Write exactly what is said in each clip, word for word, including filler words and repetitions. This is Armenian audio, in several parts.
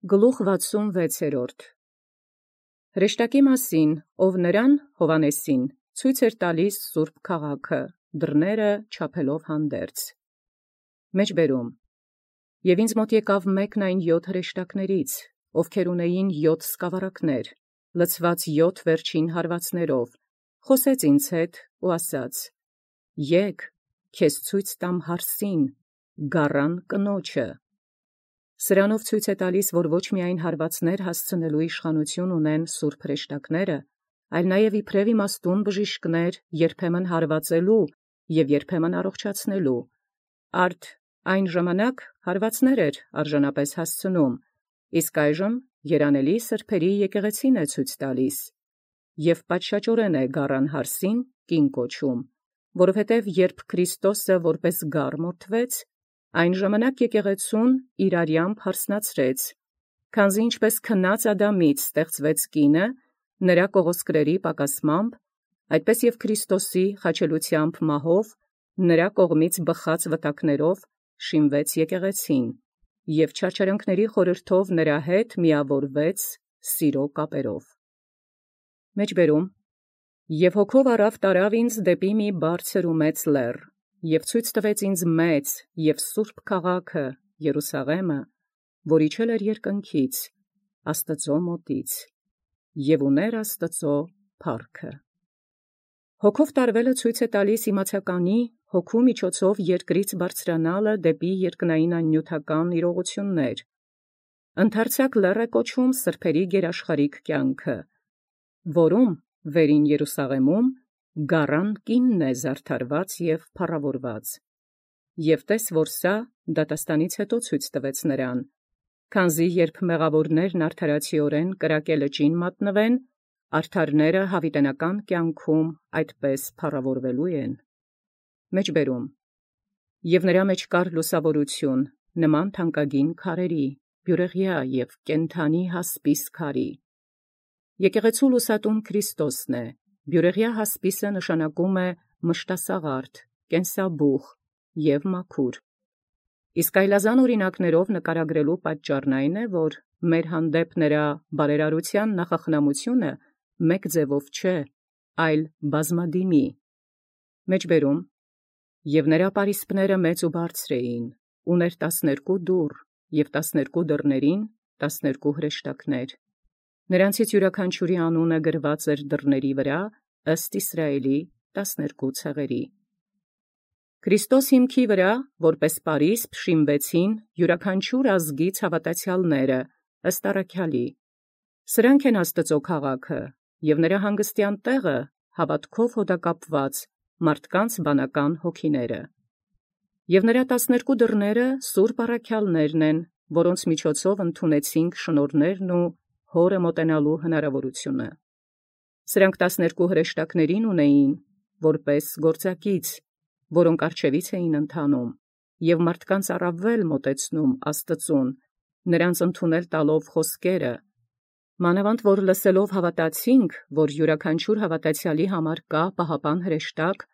Գլուխ վաթսունվեցերորդ Հրեշտակի մասին, ով նրան Հովհաննեսին ցույց էր տալիս սուրբ քաղաքը, դռները չափելով հանդերձ։ Մեջբերում Եւ ինձ մոտ եկավ մեկն այն յոթ հրեշտակներից, ովքեր ունեին յոթ սկավառակներ, լցված յոթ վերջին հարվածներով, խոսեց ինձ հետ ու ասաց. Եկ, քեզ ցույց տամ հարսին, գառան կնոջը։ Սրանով ցույց է տալիս, որ ոչ միայն հարվածներ հասցնելու իշխանություն ունեն սուրբ հրեշտակները, այլ նաև իբրև իմաստուն բժիշկներ երբեմն հարվածելու և երբեմն առողջացնելու։ Արդ այն ժամանակ հարվածներ էր արժանապես հասցնում, իսկ այժմ երանելի սրբերի եկեղեցին է ցույց տալիս, և պատշաճորեն է գառան հարսին կին կոչում, որովհետև երբ Քրիստոսը որպես գառ մորթվեց, այն ժամանակ եկեղեցուն իր արյամբ հարսնացրեց, քանզի ինչպես քնած Ադամից ստեղծվեց կինը, նրա կողոսկրերի պակասմամբ, այդպես և Քրիստոսի խաչելությամբ մահով, նրա կողմից բխած վտակներով շինվեց եկեղեցին, և չարչարանքների խորհրդով նրա հետ միավորվեց սիրո կապերով։ Մեջբերում Եվ հոգով առավ տարավ ինձ դեպի մի բարձր ու մեծ լեռ, և ցույց տվեց ինձ մեծ և սուրբ քաղաքը Երուսաղէմը, որ իջել էր երկնքից, Աստծու մոտից, և ուներ Աստծու փառքը։ Հոգով տարվելը ցույց է տալիս իմացականի հոգու միջոցով երկրից բարձրանալը դեպի երկնային աննյութական իրողություններ։ Ընդարձակ լեռ է կոչում սրբերի գերաշխարհիկ կյանքը, որում վերին Երուսաղեմում գառան կինն է զարդարված և փառավորված։ Եւ տես, որ սա դատաստանից հետո ցույց տվեց նրան, քանզի երբ մեղավորներն արդարացիորեն կրակե լճին մատնվեն, արդարները յաւիտենական կյանքում այդպես փառավորվելու են։ Մեջբերում Եւ նրա մեջ կար լուսաւորություն, նման թանկագին քարերի, բյուրեղյա և կենդանի հասպիս քարի։ Եկեղեցու լուսատուն Քրիստոսն է, բյուրեղյա հասպիսը նշանակում է մշտասաղարդ, կենսաբուխ և մաքուր։ Իսկ այլազան օրինակներով նկարագրելու պատճառն այն է, որ մեր հանդեպ նրա բարերարության նախախնամությունը մեկ ձևով չէ, այլ բազմադիմի։ Մեջբերում Եւ նրա պարիսպները մեծ ու բարձր էին, ուներ տասներկու դուռ, և տասներկու դռներին տասներկու հրեշտակներ։ Նրանցից յուրաքանչյուրի անունը գրված էր դռների վրա, ըստ Իսրայելի տասներկու ցեղերի։ Քրիստոս հիմքի վրա, որպես պարիսպ, շինվեցին յուրաքանչյուր ազգից հաւատացյալները, ըստ առաքյալի։ Սրանք են Աստծու քաղաքը, և նրա հանգստեան տեղը հաւատքով հոդակապված մարդկանց բանական հոգիները։ Եւ նրա տասներկու դռները սուրբ առաքյալներն են, որոնց միջոցով ընդունեցինք շնորհներն ու Հօրը մոտենալու հնարավորությունը։ Սրանք տասներկու հրեշտակներին ունեին, որպես գործակից, որոնք առջևից էին ընթանում, և մարդկանց առավել մոտեցնում Աստծուն, նրանց ընդունել տալով խոսքերը, մանավանդ որ լսելով հավատացինք, որ յուրաքանչյուր հավատացյալի համար կա պահապան հրեշտակ,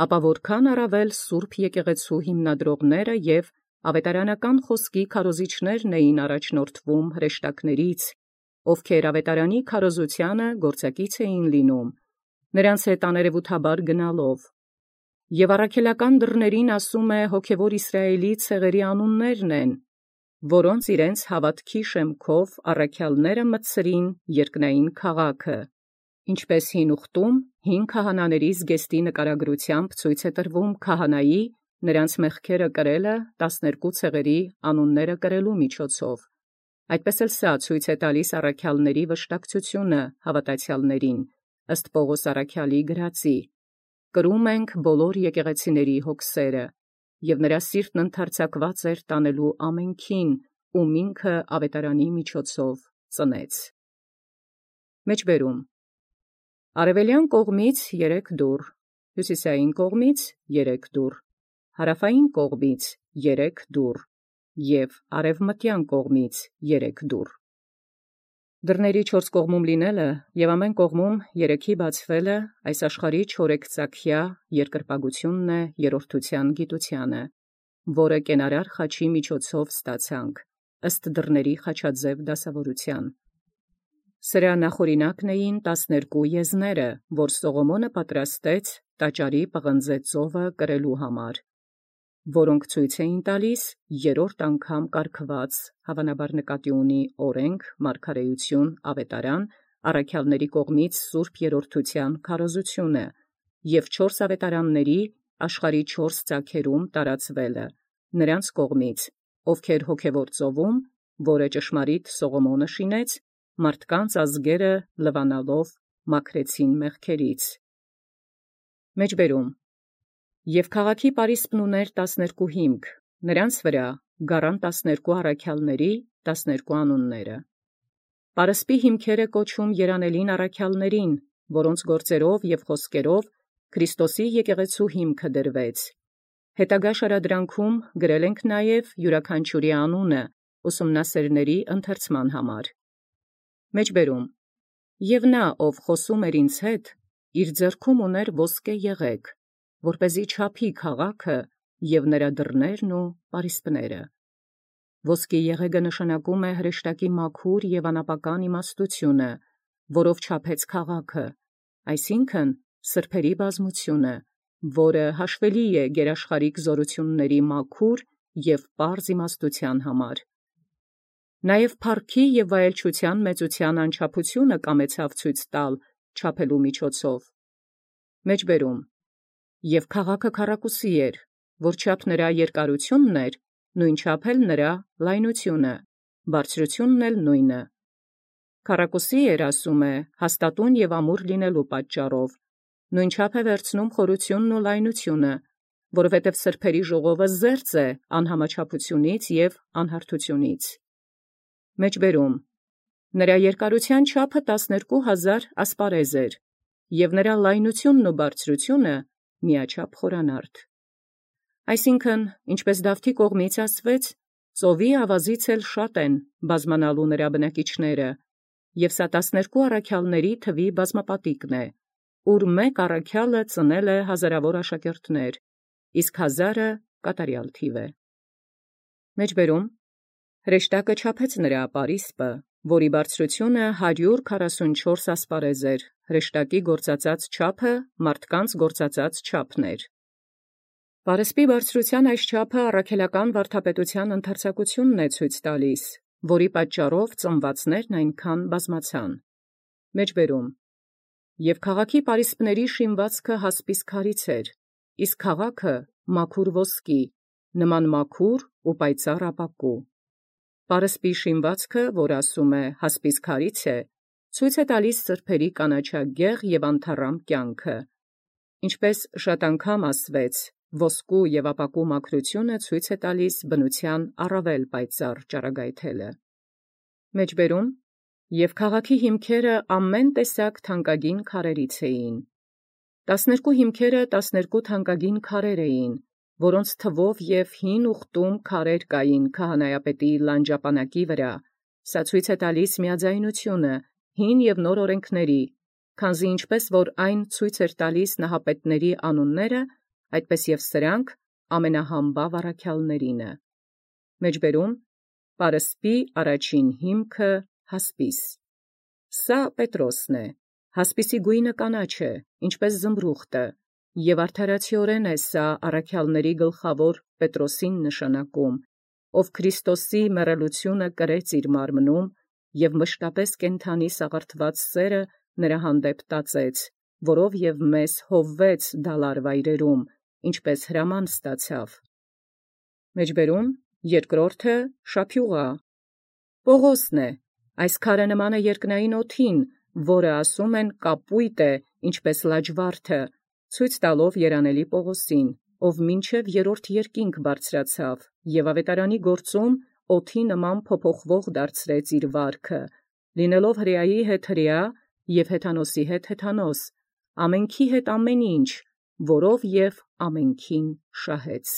ապա որքան առավել սուրբ եկեղեցու հիմնադրողները և ավետարանական խոսքի քարոզիչներն էին առաջնորդվում հրեշտակներից, ովքեր ավետարանի քարոզությանը գործակից էին լինում, նրանց հետ աներևութաբար գնալով։ Եւ առաքելական դռներին ասում է հոգևոր Իսրայելի ցեղերի անուններն են, որոնց իրենց հաւատքի շեմքով առաքյալները մտցրին երկնային քաղաքը, ինչպես հին ուխտում հին քահանաների զգեստի նկարագրությամբ ցույց է տրվում քահանայի նրանց մեղքերը կրելը տասներկու ցեղերի անունները կրելու միջոցով։ Այդպես էլ սա ցույց է տալիս առաքյալների վշտակցությունը հավատացյալներին, ըստ Պողոս առաքյալի գրածի. կրում ենք բոլոր եկեղեցիների հոգսերը, և նրա սիրտն ընդարձակված էր տանելու ամենքին, ում ինքը ավետարանի միջոցով ծնեց։ Մեջբերում Արևելյան կողմից երեք դուռ, հյուսիսային կողմից երեք դուռ, հարավային կողմից երեք դուռ և արևմտյան կողմից երեք դուռ։ Դռների չորս կողմում լինելը և ամեն կողմում երեքի բացվելը այս աշխարհի չորեքծաքյա երկրպագությունն է երրորդության գիտությանը, որը կենարար խաչի միջոցով ստացանք, ըստ դռների խաչաձև դասավորության։ Սրա նախօրինակն էին տասներկու եզները, որ Սողոմոնը պատրաստեց տաճարի պղնձե ծովը կրելու համար, որոնք ցույց էին տալիս երրորդ անգամ կարգված, հավանաբար նկատի ունի օրենք, մարգարեություն, ավետարան, առաքյալների կողմից սուրբ երրորդության քարոզությունը և չորս ավետարանների աշխարհի չորս ծագերում տարածվելը, նրանց կողմից, ովքեր հոգևոր ծովում, որը ճշմարիտ Սողոմոնը շինեց, մարդկանց ազգերը լվանալով մաքրեցին մեղքերից։ Մեջբերում Եւ քաղաքի պարիսպն ուներ տասներկու հիմք, նրանց վրա գառան տասներկու առաքյալների տասներկու անունները։ Պարսպի հիմքերը կոչում երանելին առաքյալներին, որոնց գործերով եւ խոսքերով Քրիստոսի եկեղեցու հիմքը դրվեց։ Հետագա շարադրանքում գրել ենք նաև յուրաքանչյուրի անունը ուսումնասերների ընթերցման համար։ Մեջբերում Եվ նա, ով խոսում էր ինձ հետ, իր ձեռքում ուներ ոսկե եղեգ, որպեսզի չափի քաղաքը և նրա դռներն ու պարիսպները։ Ոսկի եղեգը նշանակում է հրեշտակի մաքուր և անապական իմաստությունը, որով չափեց քաղաքը, այսինքն սրբերի բազմությունը, որը հաշվելի է գերաշխարհիկ զորությունների մաքուր և պարզ իմաստության համար։ Նաև փառքի և վայելչության մեծության անչափությունը կամեցավ ցույց տալ չափելու միջոցով։ Մեջբերում Եւ քաղաքը քառակուսի էր, որչափ նրա երկարությունն էր, նույնչափ էլ նրա լայնությունը, բարձրությունն էլ նույնը։ Քառակուսի էր, ասում է, հաստատուն և ամուր լինելու պատճառով, նույնչափ է վերցնում խորությունն ու լայնությունը, որովհետև սրբերի ժողովը զերծ է անհամաչափությունից և անհարթությունից։ Մեջբերում Նրա երկարության չափը տասներկու հազար ասպարեզ էր, և նրա լայնությունն ու բարձրությունը միաչափ խորանարդ։ Այսինքն, ինչպես Դավթի կողմից ասվեց, ծովի ավազից էլ շատ են բազմանալու նրա բնակիչները, և սա տասներկու առաքյալների թվի բազմապատիկն է, ուր մեկ առաքյալը ծնել է հազարավոր աշակերտներ, իսկ հազարը կատարյալ թիվ է։ Մեջբերում Հրեշտակը չափեց նրա պարիսպը, որի բարձրությունը հարյուր քառասունչորս ասպարեզ էր, հրեշտակի գործածած չափը մարդկանց գործածած չափն էր։ Պարսպի բարձրության այս չափը առաքելական վարդապետության ընդարձակությունն է ցույց տալիս, որի պատճառով ծնվածներն այնքան բազմացան։ Մեջբերում Եւ քաղաքի պարիսպների շինվածքը հասպիս քարից էր, իսկ քաղաքը մաքուր ոսկի, նման մաքուր ու պայծառ ապակու։ Պարսպի շինվածքը, որ ասում է հասպիս քարից է, ցույց է տալիս սրբերի կանաչագեղ և անթառամ կյանքը։ Ինչպես շատ անգամ ասվեց, ոսկու և ապակու մաքրությունը ցույց է տալիս բնության առավել պայծառ ճառագայթելը։ Մեջբերում Եւ քաղաքի հիմքերը ամեն տեսակ թանկագին քարերից էին։ Տասներկու հիմքերը տասներկու թանկագին քարեր էին, որոնց թվով և հին ուխտում քարեր կային քահանայապետի լանջապանակի վրա, սա ցույց է տալիս միաձայնությունը հին և նոր օրենքների, քանզի ինչպես որ այն ցույց էր տալիս նահապետների անունները, այդպես և սրանք ամենահամբավ առաքյալներինը։ Մեջբերում Պարսպի առաջին հիմքը հասպիս։ Սա Պետրոսն է, հասպիսի գույնը կանաչ է, ինչպես զմրուխտը, և արդարացիորեն է սա առաքյալների գլխավոր Պետրոսին նշանակում, ով Քրիստոսի մեռելությունը կրեց իր մարմնում և մշտապես կենդանի սաղարթված սերը նրա հանդեպ տածեց, որով և մեզ հովվեց դալար վայրերում, ինչպես հրաման ստացավ։ Մեջբերում երկրորդը շափյուղա։ Պողոսն է, այս քարը նման է երկնային օդին, որը ասում են կապույտ է, ինչպես լաջվարդը, ցույց տալով երանելի Պողոսին, ով մինչև երրորդ երկինք բարձրացավ, և ավետարանի գործում օդի նման փոփոխվող դարձրեց իր վարքը, լինելով հրեայի հետ հրեա և հեթանոսի հետ հեթանոս, ամենքի հետ ամեն ինչ, որով և ամենքին շահեց։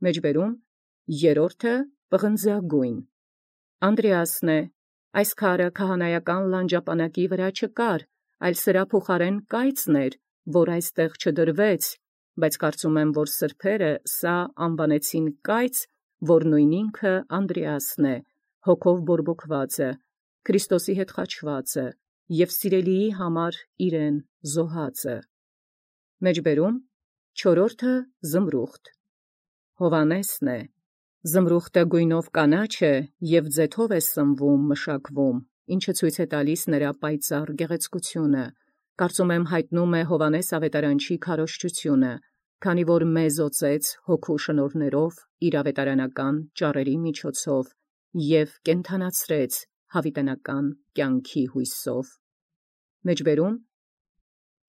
Մեջբերում երրորդը պղնձագույն։ Անդրեասն է, այս քարը քահանայական լանջապանակի վրա չկար, այլ սրա փոխարեն կայծն էր, որ այստեղ չդրվեց, բայց կարծում եմ, որ սրբերը սա անվանեցին կայծ, որ նույն ինքը Անդրեասն է, հոգով բորբոքվածը, Քրիստոսի հետ խաչվածը և սիրելիի համար իրեն զոհածը։ Մեջբերում չորրորդը Զմրուխտ։ Հովանեսն է, Զմրուխտը գույնով կանաչ է և ձեթով է սնվում, մշակվում, ինչը ցույց է տալիս նրա պայծառ գեղեցկությունը, կարծում եմ հայտնում է Հովանես ավետարանչի քարոզչությունը, քանի որ մեզ օծեց հոգու շնորհներով իր ավետարանական ճառերի միջոցով և կենդանացրեց հավիտենական կյանքի հույսով։ Մեջբերում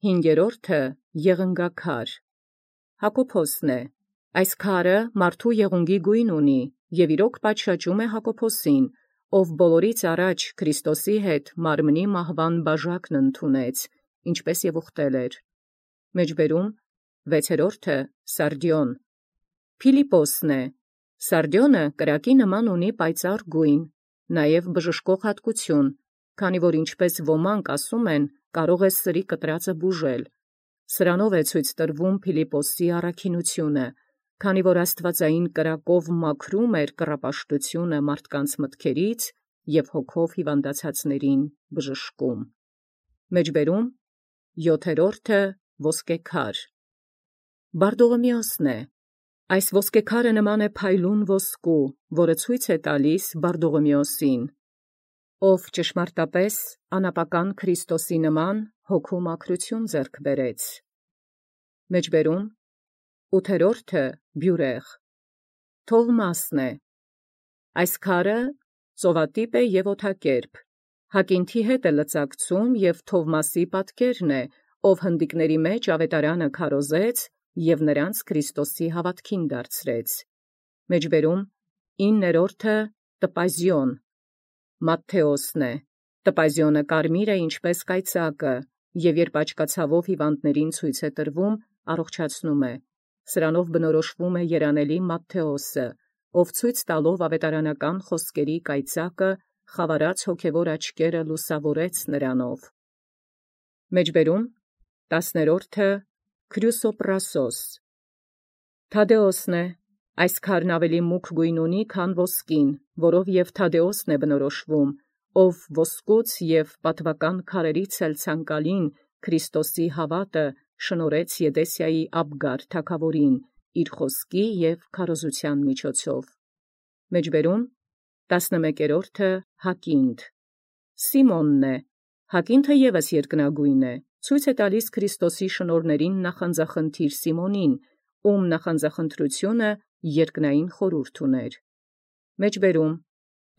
հինգերորդը Եղնգաքար։ Հակոբոսն է, այս քարը մարդու եղունգի գույն ունի և իրոք պատշաճում է Հակոբոսին, ով բոլորից առաջ Քրիստոսի հետ մարմնի մահվան բաժակն ընդունեց, ինչպես և ուխտել էր։ Մեջբերում վեցերորդը Սարդիոն։ Փիլիպոսն է, Սարդիոնը կրակի նման ունի պայծառ գույն, նաև բժշկող հատկություն, քանի որ ինչպես ոմանք ասում են, կարող է սրի կտրածը բուժել։ Սրանով է ցույց տրվում Փիլիպոսի առաքինությունը, քանի որ աստվածային կրակով մաքրում էր կռապաշտությունը մարդկանց մտքերից և հոգով հիվանդացածներին բժշկում։ Մեջբերում յոթերորդը Ոսկեքար։ Բարդողոմեոսն է, այս ոսկեքարը նման է փայլուն ոսկու, որը ցույց է տալիս Բարդողոմեոսին, ով ճշմարտապես անապական Քրիստոսի նման հոգու մաքրություն ձեռք բերեց։ Մեջբերում ութերորդը Բյուրեղ։ Թովմասն է, այս քարը ծովատիպ է և օդակերպ, հակինթի հետ է լծակցում և Թովմասի պատկերն է, ով հնդիկների մեջ ավետարանը քարոզեց և նրանց Քրիստոսի հավատքին դարձրեց։ Մեջբերում իններորդը Տպազիոն։ Մատթեոսն է, Տպազիոնը կարմիր է ինչպես կայծակը, և երբ աչկացավով հիվանդներին ցույց է տրվում, առողջացնում է։ Սրանով բնորոշվում է երանելի Մատթեոսը, ով ցույց տալով ավետարանական խոսքերի կայծակը, խավարած հոգևոր աչքերը լուսավորեց նրանով։ Մեջբերում տասներորդը Քրյուսոպրասոս։ Թադեոսն է, այս քարն ավելի մուգ գույն ունի, քան ոսկին, որով և Թադեոսն է բնորոշվում, ով ոսկուց և պատվական քարերից էլ ցանկալին Քրիստոսի հավատը շնորհեց Եդեսիայի Աբգար թագավորին իր խոսքի և քարոզության միջոցով։ Մեջբերում տասնմեկերորդը Հակինթ։ Սիմոնն է, Հակինթը ևս երկնագույն է, ցույց է տալիս Քրիստոսի շնորհներին նախանձախնդիր Սիմոնին, ում նախանձախնդրությունը երկնային խորհուրդ ուներ։ Մեջբերում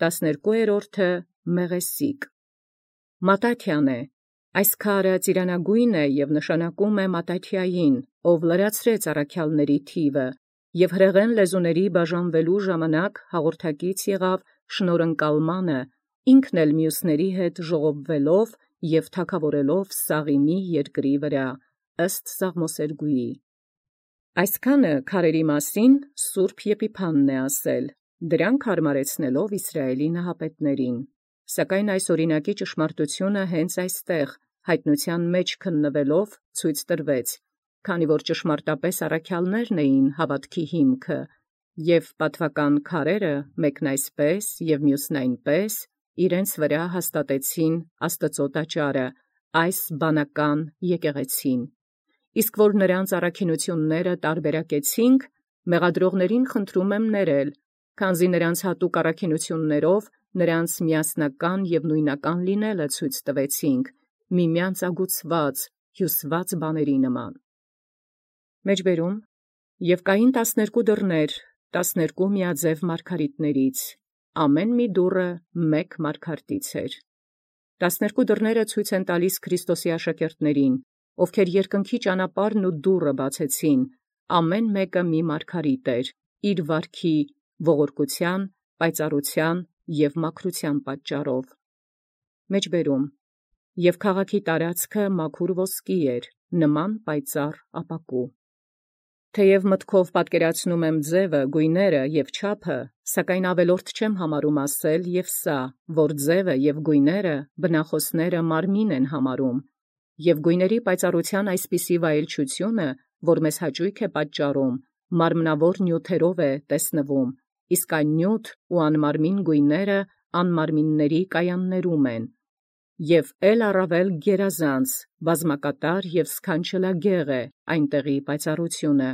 տասներկուերորդը Մեղեսիկ։ Մատաթիան է, այս քարը ծիրանագույն է և նշանակում է Մատաթիային, ով լրացրեց առաքյալների թիվը և հրեղեն լեզուների բաժանվելու ժամանակ հաղորդակից եղավ շնորհընկալմանը, ինքն էլ մյուսների հետ ժողովվելով և թագավորելով Սաղիմի երկրի վրա, ըստ Սաղմոսերգուի։ Այսքանը քարերի մասին Սուրբ Եփիփանն է ասել, դրանք հարմարեցնելով Իսրայելի նահապետներին, սակայն այս օրինակի ճշմարտությունը հենց այստեղ հայտնության մեջ քննվելով ցույց տրվեց, քանի որ ճշմարտապես առաքյալներն էին հավատքի հիմքը, և պատվական քարերը մեկն այսպես և մյուսն այնպես իրենց վրա հաստատեցին Աստծո տաճարը, այս բանական եկեղեցին։ Իսկ որ նրանց առաքինությունները տարբերակեցինք, մեղադրողներին խնդրում եմ ներել, քանզի նրանց հատուկ առաքինություններով նրանց միասնական և նույնական լինելը ցույց տվեցինք, միմյանց ագուցված, հյուսված բաների նման։ Մեջբերում և կային տասներկու դռներ, տասներկու միաձև մարգարիտներից, ամեն մի դուռը մեկ մարգարտից էր։ Տասներկու դռները ցույց են տալիս Քրիստոսի աշակերտներին, ովքեր երկնքի ճանապարհն ու դուռը բացեցին, ամեն մեկը մի մարգարիտ էր, իր վարքի, ողորկության, պայծառության և մաքրության պատճառով։ Մեջբերում և քաղաքի տարածքը մաքուր ոսկի էր, նման պայծառ ապակու։ Թեև մտքով պատկերացնում եմ ձևը, գույները և չափը, սակայն ավելորդ չեմ համարում ասել և սա, որ ձևը և գույները բնախոսները մարմին են համարում, և գույների պայծառության այսպիսի վայելչությունը, որ մեզ հաճույք է պատճառում, մարմնավոր նյութերով է տեսնվում, իսկ այն նյութ ու անմարմին գույները անմարմինների կայաններում են, և էլ առավել գերազանց, բազմակատար և սքանչելագեղ է այնտեղի պայծառությունը,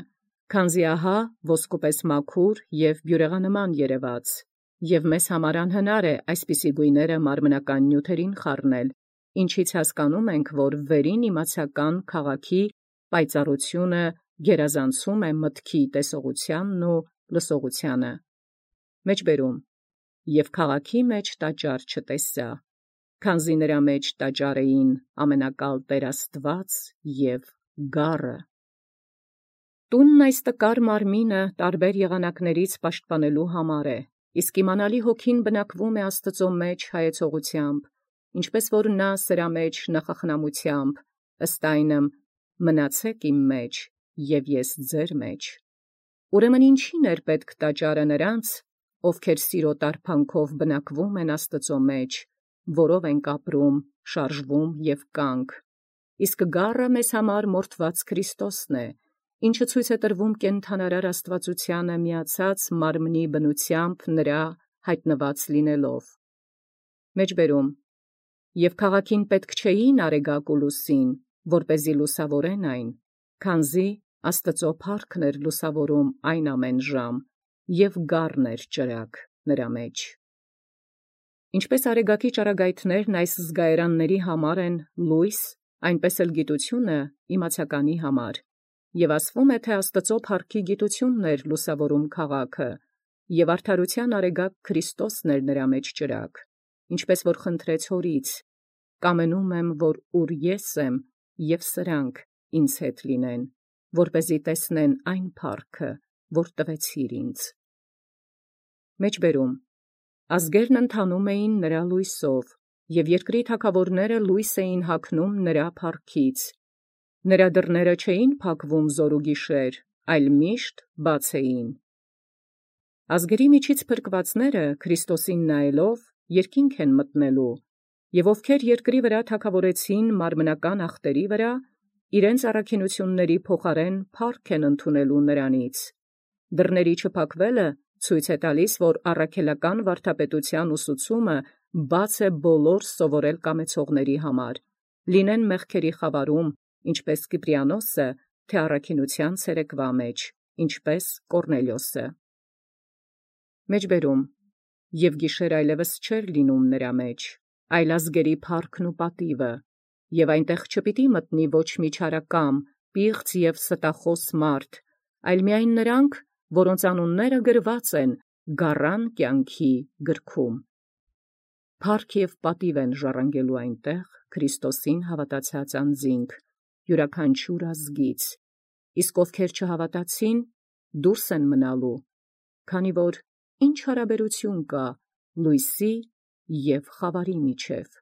քանզի ահա ոսկուպես մաքուր և բյուրեղանման երևաց, և մեզ համար անհնար է այսպիսի գույները մարմնական նյութերին խառնել, ինչից հասկանում ենք, որ վերին իմացական քաղաքի պայծառությունը գերազանցում է մտքի տեսողությանն ու լսողությանը։ Մեջբերում. և քաղաքի մեջ տաճար չտեսա, քանզի նրա մեջ տաճար էին ամենակալ Տէր Աստուած և գառը։ Տունն այս տկար մարմինը տարբեր եղանակներից պաշտպանելու համար է, իսկ իմանալի հոգին բնակվում է Աստուծո մեջ հայեցողությամբ, ինչպես որ նա սրա մեջ նախախնամությամբ, ըստ այնմ՝ մնացեք իմ մեջ, և ես ձեր մեջ։ Ուրեմն ինչի՞ն էր պետք տաճարը նրանց, ովքեր սիրո տարբանքով բնակվում են Աստուծո մեջ, որով ենք ապրում, շարժվում և կանք, իսկ գառը մեզ համար մորթված Քրիստոսն է, ինչը ցույց է տրվում կենդանարար աստվածությանը միացած մարմնի բնությամբ նրա յայտնված լինելով։ Մեջբերում. և քաղաքին պետք չէին արեգակ ու լուսին, որպեսզի լուսավորեն այն, քանզի Աստուծո փառքն էր լուսավորում այն ամեն ժամ, և գառն էր ճրագ նրա մեջ։ Ինչպես արեգակի ճառագայթներն այս զգայարանների համար են լույս, այնպես էլ գիտությունը իմացականի համար, և ասվում է, թե Աստուծո փառքի գիտությունն էր լուսավորում քաղաքը, և արդարութեան արեգակ Քրիստոսն էր նրա մեջ ճրագ, ինչպես որ խնդրեց Հորից. «Կամենում եմ, որ ուր ես եմ, և սրանք ինձ հետ լինեն, որպեսզի տեսնեն այն փառքը, որ տվեցիր ինձ»։ Մեջբերում. ազգերն ընթանում էին նրա լույսով, և երկրի թագաւորները լույս էին հագնում նրա փառքից. նրա դռները չէին փակվում զօր ու գիշեր, այլ միշտ բաց էին։ Ազգերի միջից փրկվածները Քրիստոսին նայելով երկինք են մտնելու, և ովքեր երկրի վրա թագաւորեցին մարմնական ախտերի վրա, իրենց առաքինութիւնների փոխարեն փառք են ընդունելու նրանից։ Դռների չփակվելը ցույց է տալիս, որ առաքելական վարդապետութեան ուսուցումը բաց է բոլոր սովորել կամեցողների համար, լինեն մեղքերի խավարում, ինչպես Կիպրիանոսը, թե առաքինութեան ցերեկվա մեջ, ինչպես Կոռնելիոսը։ Մեջբերում. և գիշեր այլևս չէր լինում նրա մեջ, այլ ազգերի փառքն ու պատիվը, և այնտեղ չպիտի մտնի ոչ մի չարակամ, պիղծ և ստախոս մարդ, այլ միայն նրանք, որոնց անունները գրված են գառան կյանքի գրքում։ Փառք և պատիվ են ժառանգելու այնտեղ Քրիստոսին հավատացած անձինք, յուրաքանչյուր ազգից, իսկ ովքեր չհավատացին, դուրս են մնալու, քանի որ ի՛նչ հարաբերութիւն կա լույսի և խավարի միջև։